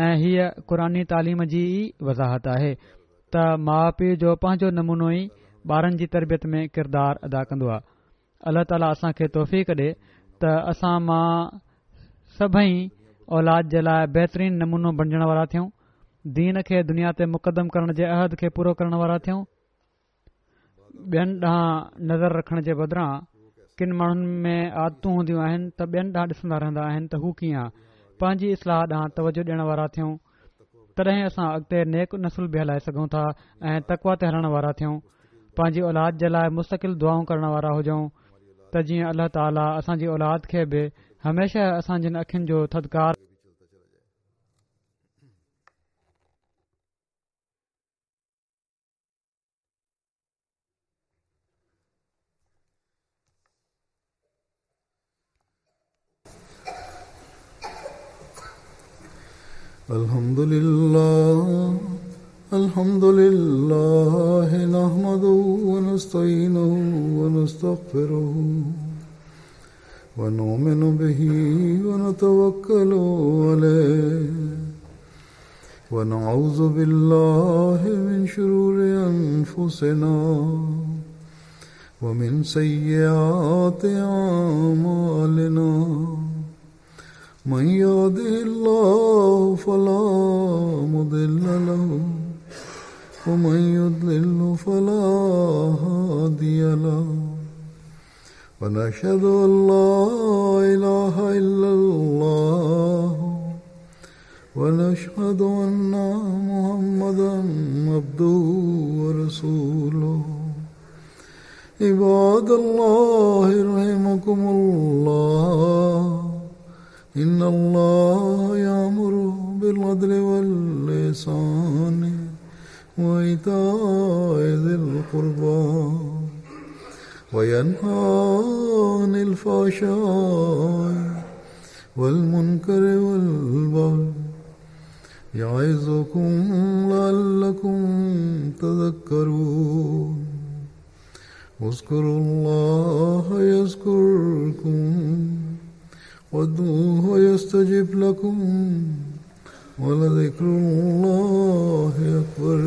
۽ هيء قرآني تعليم جي ئي وضاحت آهي ته ماء پيء جو پنهنجو نمونو ئي ٻارن جي تربيت ۾ ڪردار ادا ڪندو آ. الله تعاليٰ اسان کي توفيق ڏي ته اسان مان سڀئي اولاد جي لاء بهترين نمونو بڻجڻ وارا ٿيون، دين کي دنيا تي مقدم ڪرڻ جي عهد کي پورو ڪرڻ وارا ٿيون. ٻين ڏانهن نظر رکڻ جي بدران ڪن ماڻهن ۾ عادتون هونديون آهن ته ٻين ڏانهن ڏسندا رهندا آهن ته هو ڪيئن آ، پنهنجي اصلاح ڏانهن توجه ڏيڻ وارا ٿيون، تڏهن اسان اڳتي نيڪ نسل به هلائي سگهون ٿا ۽ تقويٰ تي هلڻ وارا ٿيون. پنهنجي اولاد جي لاء مستقل دعائون ڪرڻ وارا هجون ته جيئن الله تعاليٰ اسان جي اولاد کي به هميشه اسان جن اکين جو ٿڌڪار الحمد لله الحمد لله نحمده ونستعينه ونستغفره ونؤمن به ونتوكل عليه ونعوذ بالله من شرور أنفسنا ومن سيئات أعمالنا من يهده الله فلا مضل له ومن يضلل فلا هادي له ونشهد أن لا إله إلا الله ونشهد أن محمدا عبده ورسوله. عباد الله رحمكم الله، إن الله يأمر بالعدل والإحسان وإيتاء ذي القربى وينهى عن الفحشاء والمنكر والبغي يعظكم لعلكم تذكرون. اذكروا الله يذكركم وادعوه يستجب لكم ولذكر الله أكبر.